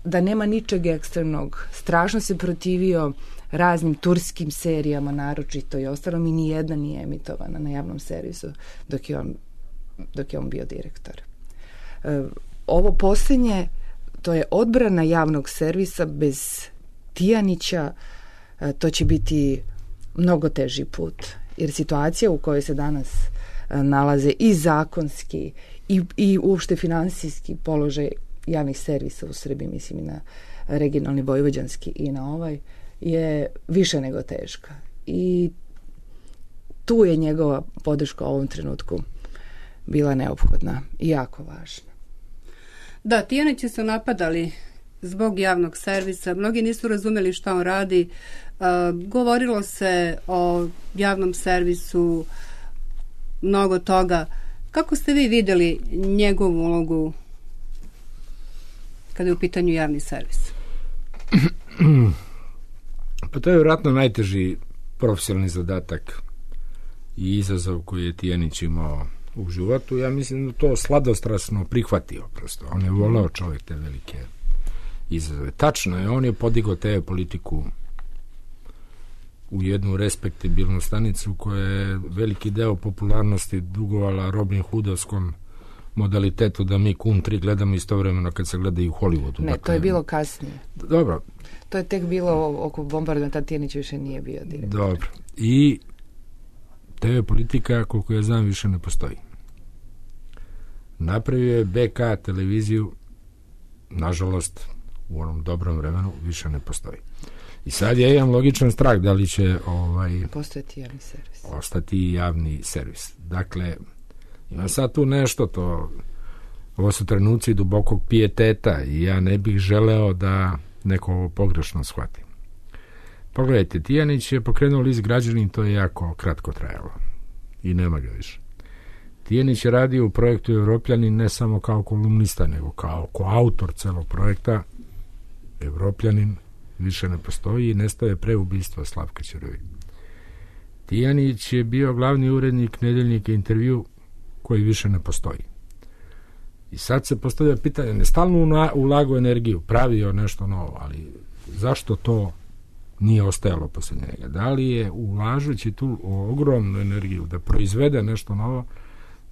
da nema ničeg ekstremnog. Strašno se protivio raznim turskim serijama naročito i ostalom i nijedna nije emitovana na javnom servisu dok je on bio direktor. Ovo posljednje, to je odbrana javnog servisa bez Tijanića, to će biti mnogo teži put. Jer situacija u kojoj se danas nalaze i zakonski i uopšte finansijski položaj javnih servisa u Srbiji, mislim i na regionalni vojvođanski i na ovaj, je više nego teška. I tu je njegova podrška u ovom trenutku bila neophodna i jako važna. Da, Tijanići su napadali zbog javnog servisa. Mnogi nisu razumeli šta on radi. Govorilo se o javnom servisu, mnogo toga. Kako ste vi vidjeli njegovu ulogu kada je u pitanju javni servis? Pa to je vjerojatno najteži profesionalni zadatak i izazov koji je Tijanić imao u životu. Ja mislim da to sladostrasno prihvatio prosto. On je voleo čovjek te velike izazove. Tačno je, on je podigao TV politiku u jednu respektabilnu stanicu koja je veliki deo popularnosti dugovala Robin Hoodovskom modalitetu da mi Kum 3 gledamo istovremeno kad se gleda i u Hollywoodu. Ne, to je bilo kasnije. Dobro. To je tek bilo oko bombardovanja, Tijanić više nije bio direktor. Dobro. I TV politika, koliko ja znam, više ne postoji. Napravio je BK televiziju, nažalost, u onom dobrom vremenu više ne postoji. I sad ja imam logičan strah da li će postojati javni servis. Ostati javni servis. Dakle, ima sad tu nešto, ovo su trenuci dubokog pijeteta i ja ne bih želeo da neko ovo pogrešno shvati. Pogledajte, Tijanić je pokrenuo list Građanin, to je jako kratko trajalo i nema ga više. Tijanić je radio u projektu Evropljanin ne samo kao kolumnista, nego kao koautor celog projekta. Evropljanin više ne postoji i nestaje pre ubistva Slavka Ćuruvije. Tijanić je bio glavni urednik Nedeljnika Intervju koji više ne postoji. I sad se postavlja pitanje, ne stalno ulagao energiju, pravio nešto novo, ali zašto to nije ostajalo posle njega? Da li je ulažući tu ogromnu energiju da proizvede nešto novo,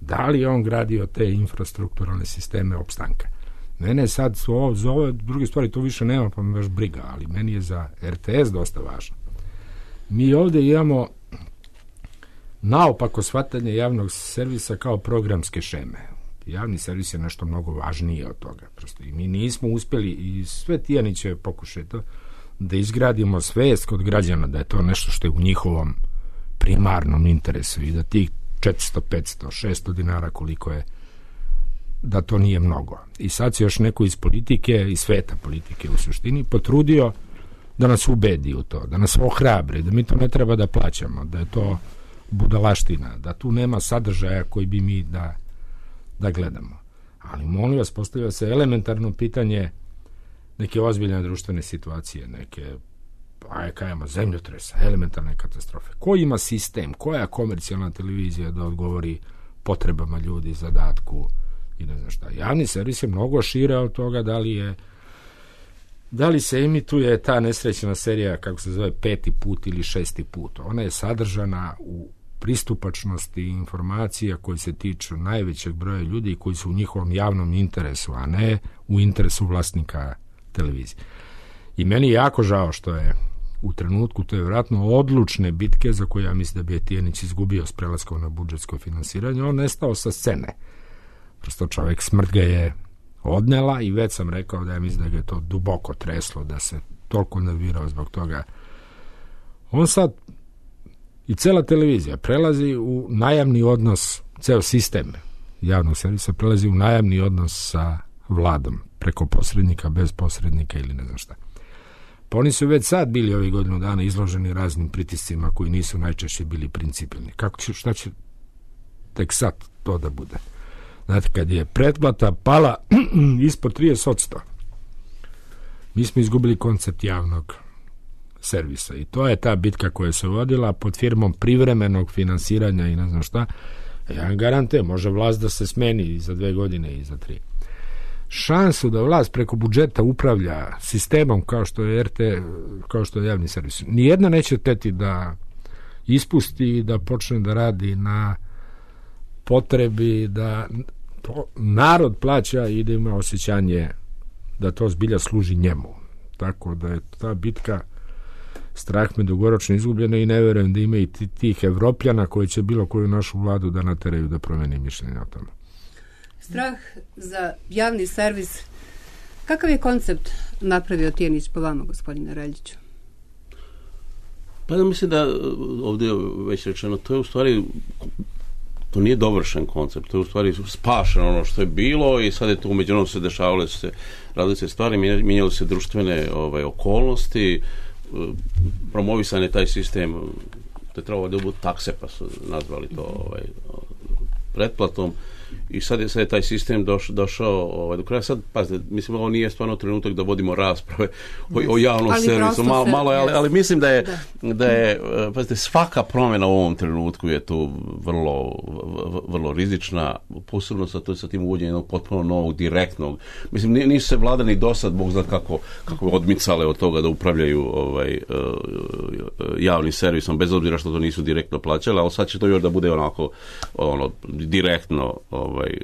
da li je on gradio te infrastrukturalne sisteme opstanka? Mene sad za ove druge stvari to više nema, pa me baš briga, ali meni je za RTS dosta važno. Mi ovdje imamo naopako shvatanje javnog servisa kao programske šeme. Javni servis je nešto mnogo važnije od toga. Prosto. I mi nismo uspjeli, i sve Tijanićeve pokušaje to, da izgradimo svest kod građana da je to nešto što je u njihovom primarnom interesu i da tih 400, 500, 600 dinara koliko je, da to nije mnogo. I sad se još neko iz politike, iz sveta politike u suštini, potrudio da nas ubedi u to, da nas ohrabri, da mi to ne treba da plaćamo, da je to budalaština, da tu nema sadržaja koji bi mi da gledamo. Ali molim vas, postavlja se elementarno pitanje neke ozbiljne društvene situacije, neke zemljotresa, elementarne katastrofe. Ko ima sistem, koja komercijalna televizija da odgovori potrebama ljudi, zadatku i ne znam šta. Javni servis je mnogo šire od toga da li se emituje ta nesrećna serija, kako se zove, 5. put ili 6. put. Ona je sadržana u pristupačnosti informacija koji se tiču najvećeg broja ljudi i koji su u njihovom javnom interesu, a ne u interesu vlasnika televizije. I meni je jako žao što je u trenutku, to je vjerojatno odlučne bitke za koje ja mislim da bi Tijanić izgubio s prelaskom na budžetsko finansiranje, on nestao sa scene. Prosto čovjek, smrt ga je odnela i već sam rekao da ja mislim da ga je to duboko treslo, da se toliko nervirao zbog toga. On sad i cela televizija prelazi u najamni odnos, ceo sistem javnog servisa prelazi u najamni odnos sa vladom, preko posrednika, bez posrednika ili ne znam šta. Pa oni su već sad bili ovih godinu dana izloženi raznim pritiscima koji nisu najčešće bili principijelni. Šta će tek sad to da bude? Znate, kad je pretplata pala ispod 30%, mi smo izgubili koncept javnog servisa i to je ta bitka koja se vodila pod firmom privremenog finansiranja i ne znam šta. Ja vam garantujem, može vlast da se smeni i za 2 godine i za 3. šansu da vlast preko budžeta upravlja sistemom kao što je RT, kao što je javni servis. Nijedna neće teti da ispusti i da počne da radi na potrebi da narod plaća i da ima osjećanje da to zbilja služi njemu. Tako da je ta bitka, strah me dugoročno izgubljena i ne verujem da ima i tih Evropljana koji će bilo koju našu vladu da nateraju da promeni mišljenje o tome. Strah za javni servis. Kakav je koncept napravio Tijanić po vama, gospodine Reljiću? Pa da mislim da ovdje je već rečeno, to je u stvari, to nije dovršen koncept, to je u stvari spašeno ono što je bilo i sad je to umeđu onom se dešavale se različite stvari, mijenjali se društvene okolnosti, promovisan je taj sistem, to je trebalo da budu takse, pa su nazvali to pretplatom. I sad je taj sistem došao do kraja. Sad, pazite, mislim, ovo nije stvarno trenutak da vodimo rasprave o javnom servisu. Malo je, ali mislim da je, pazite, svaka promjena u ovom trenutku je tu vrlo rizična, posebno sa tim uvođenjem jednog potpuno novog, direktnog. Mislim, nisu se vlada ni dosad, Bog zna kako odmicale od toga da upravljaju javnim servisom, bez obzira što to nisu direktno plaćali, ali sad će to još da bude onako direktno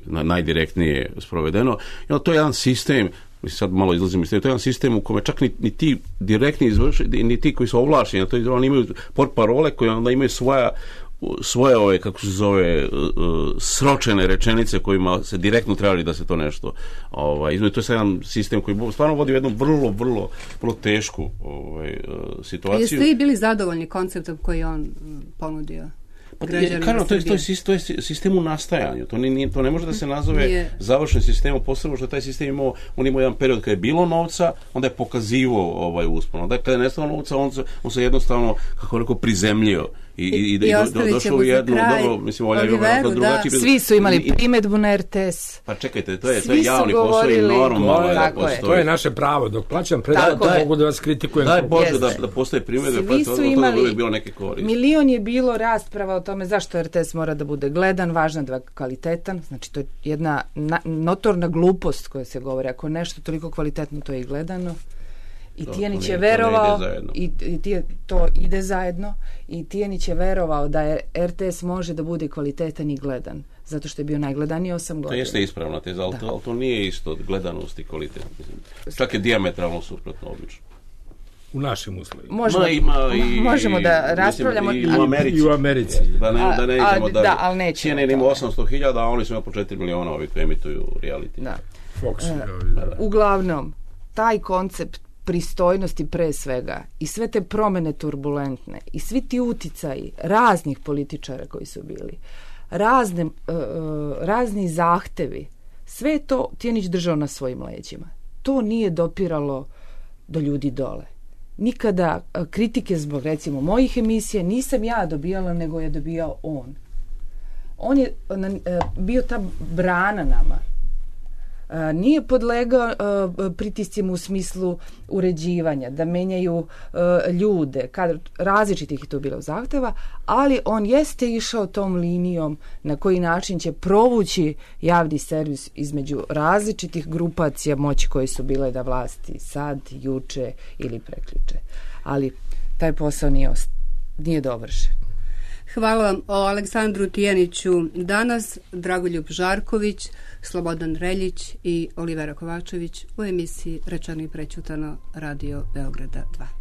najdirektnije sprovedeno. To je jedan sistem, sad malo izlazim iz to je jedan sistem u kome čak ni ti direktni izvršitelji, ni ti koji su ovlašćeni, to oni imaju portparole koje onda imaju svoje kako se zove, sročene rečenice kojima se direktno trebali da se to nešto izmeni. To je jedan sistem koji stvarno vodi u jednu vrlo tešku situaciju. Jeste vi bili zadovoljni konceptom koji on ponudio? To je sistem u nastajanju. To ne može da se nazove završen sistemom, posebno što taj sistem imao jedan period kada je bilo novca, onda je pokazivao uspon. Onda kada je nestalo novca, on se jednostavno, kako rekao, prizemljio i došao u jednu dobro, mislim, drugačiji. Svi su imali primedbu na RTS. Pa čekajte, to je javni posao i normalno da postoji. To je naše pravo. Dok plaćam predato, mogu da vas kritikujem. Daj Bože da postoje primedbe, pa to uvijek bilo neke koriste. Milion je bilo rasprava o tome zašto RTS mora da bude gledan, važno da je kvalitetan. Znači, to je jedna notorna glupost koja se govori. Ako nešto toliko kvalitetno, to je i gledano. I Tijanić je verovao to ide zajedno i Tijanić je verovao da je RTS može da bude kvalitetan i gledan, zato što je bio najgledaniji 8 godina. To jeste ispravna teza, ali to nije isto gledanost i kvalitet. Čak je dijametralno suprotno obično. U našim uslovima. Možemo da raspravljamo. I u Americi. Da ne idemo da, ali nećemo. CNN ima 800.000, a oni su ima po 4 miliona ovi koji emituju reality. Da. Uglavnom, taj koncept pristojnosti pre svega i sve te promene turbulentne i svi ti uticaji raznih političara koji su bili, razni zahtevi, sve to Tijanić držao na svojim leđima. To nije dopiralo do ljudi dole. Nikada kritike zbog, recimo, mojih emisija nisam ja dobijala, nego je dobijao on. On je bio ta brana nama. Nije podlegao pritiscima u smislu uređivanja, da menjaju ljude, različitih je to bilo zahteva, ali on jeste išao tom linijom na koji način će provući javni servis između različitih grupacija moći koje su bile da vlasti sad, juče ili prekjuče. Ali taj posao nije dovršen. Hvala vam o Aleksandru Tijaniću danas, Dragoljub Žarković, Slobodan Reljić i Olivera Kovačević u emisiji Rečeno i prećutano, Radio Beograda 2.